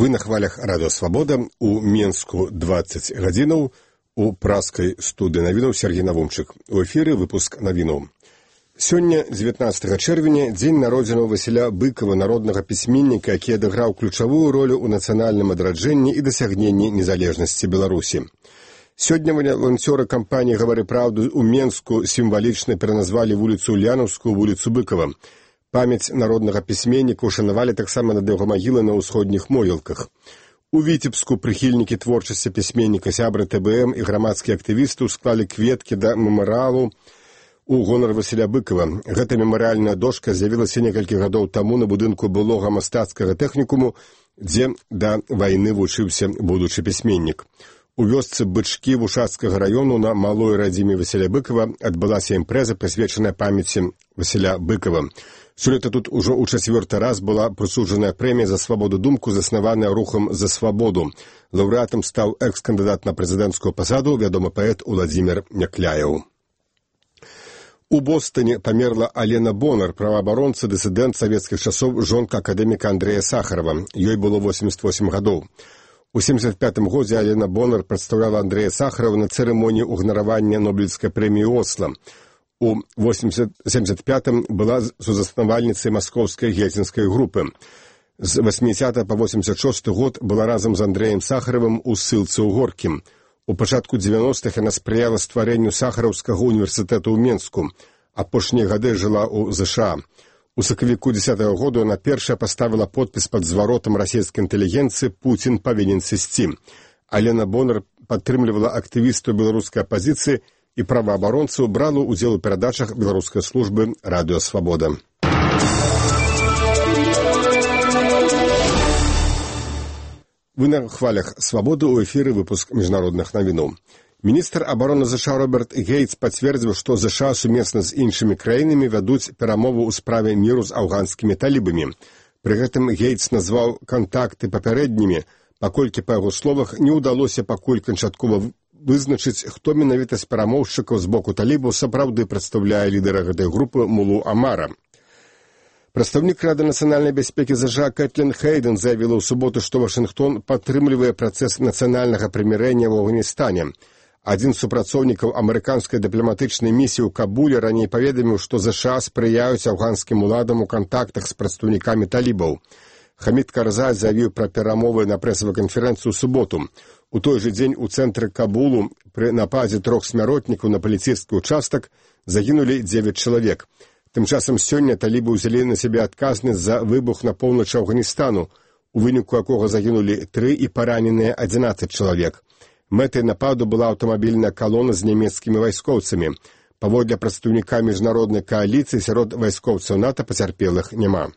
Вы на хвалях Радыё Свабода, у Менску 20 гадзінаў, у праскай студыі навінаў Сергей Навумчык. У эфіры выпуск навінаў. Сёння, 19 чэрвеня, дзень народзінаў Васіля Быкова, народнага пісьменніка, які адыграў ключавую ролю ў нацыянальным адраджэнні і дасягненні незалежнасці Беларусі. Сёння валанцёры кампаніі «Гавары праўду» у Менску сімвалічна пераназвалі вуліцу Ульянаўскую вуліцу Быкова. Памяць народнага пісьменніка ушанавалі таксама над яго магілай на ўсходніх могілках. У Віцебску прыхільнікі творчасці пісьменніка, сябры ТБМ і грамадскія актывісты склалі кветкі да мемарыялу у гонар Васіля Быкова. Гэта мемарыяльная дошка з'явілася некалькі гадоў таму на будынку былога мастацкага тэхнікуму, дзе да вайны вучыўся будучы пісьменнік. У вёсцы Бычкі Вушацкага раёну на малой радзіме Васіля Быкова адбылася імпрэза, прысвечаная памяці Васіля Быкова. Сёлета тут ужо ў 4-й раз была прысуджаная прэмія за свабоду думку, заснаваная рухам за свабоду. Лаўрэатам стаў экс-кандыдат на прэзідэнцкую пасаду, вядомы паэт Уладзімір Някляеў. У Бостоне памерла Алена Бонар, праваабаронца, дысідэнт савецкіх часоў, жонка акадэміка Андрэя Сахарова. Ёй было 88 гадоў. У 75-м годзе Алена Бонар прадстаўляла Андрэя Сахарова на цырымоніі ўгнаравання Нобелевскай прэміі Осло. У 75-м была сузаснавальніцай маскоўскай гельсінскай групы. З 80 па 86 год была разам з Андрэем Сахаровым у ссылцы ў Горкім. У пачатку 90-х яна спрыяла стварэнню Сахараўскага універсітэту ў Менску. Апошнія гады жыла ў ЗША. У сакавіку 10-го году яна першая паставіла подпіс пад зваротам расійскай інтэлігенцыі «Пуцін павінен сысці». Алена Бонар падтрымлівала актывістаў беларускай апазіцыі і праваабаронцаў, брала ўдзел у перадачах беларускай службы «Радыё Свабода». Вы на хвалях «Свабоды», у эфіры выпуск міжнародных навінаў. Міністр абароны ЗША Роберт Гейтс пацвердзіў, што ЗША сумесна з іншымі краінамі вядуць перамову ў справе міру з афганскімі талібамі. Пры гэтым Гейтс назваў кантакты папярэднімі, паколькі, па яго словах, не ўдалося пакуль канчаткова вызначыць, хто менавіта з перамоўшчыкаў з боку талібаў сапраўды прадстаўляе лідара гэтай групы Мулу Амара. Прадстаўнік Рады нацыянальнай бяспекі ЗША Кэтлін Хейден заявіла ў суботу, што Вашынгтон падтрымлівае працэс нацыянальнага прымірэння ў Афганістане. Адзін з супрацоўнікаў амерыканскай дыпламатычнай місіі ў Кабуле раней паведаміў, што ЗША спрыяюць афганскім уладам у кантактах з прадстаўнікамі талібаў. Хамід Карзай заявіў пра перамовы на прэсавай канферэнцыі ў суботу. У той жа дзень у цэнтры Кабулу пры нападзе 3 смяротнікаў на паліцейскі ўчастак загінулі 9 чалавек. Тым часам сёння талібы ўзялі на сябе адказнасць за выбух на поўначы Афганістану, у выніку якога загінулі 3 і параненыя 11 чалавек. Мэтай нападу была аўтамабільная калона з нямецкімі вайскоўцамі. Паводле прадстаўніка міжнароднай кааліцыі сярод вайскоўцаў НАТО пацярпелых няма.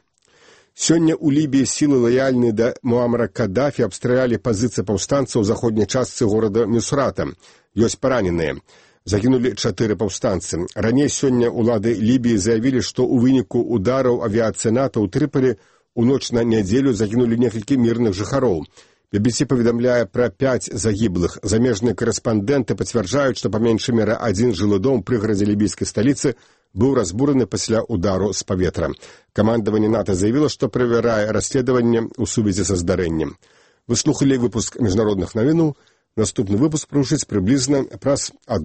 Сёння ў Лібіі сілы лаяльныя да Муамара Каддафі абстралялі пазіцыі паўстанцаў у заходняй частцы горада Місурата. Ёсць параненыя. Загінулі 4 паўстанцы. Раней сёння ўлады Лібіі заявілі, што ў выніку удараў авіяцыі НАТО ў Трыполі у ноч на нядзелю загінулі некалькі мірных жыхароў. BBC паведамляе пра 5 загіблых. Замежныя корэспандэнты пацвярджаюць, што па меншай меры адзін жылы дом пры гарадзе лібійскай сталіцы быў разбураны пасля удару з паветра. Камандаванне НАТО заявіла, што правярае расследаванне ў сувязі са здарэннем. Вы слухалі выпуск міжнародных навінаў. Наступны выпуск прагучыць прыблізна праз 1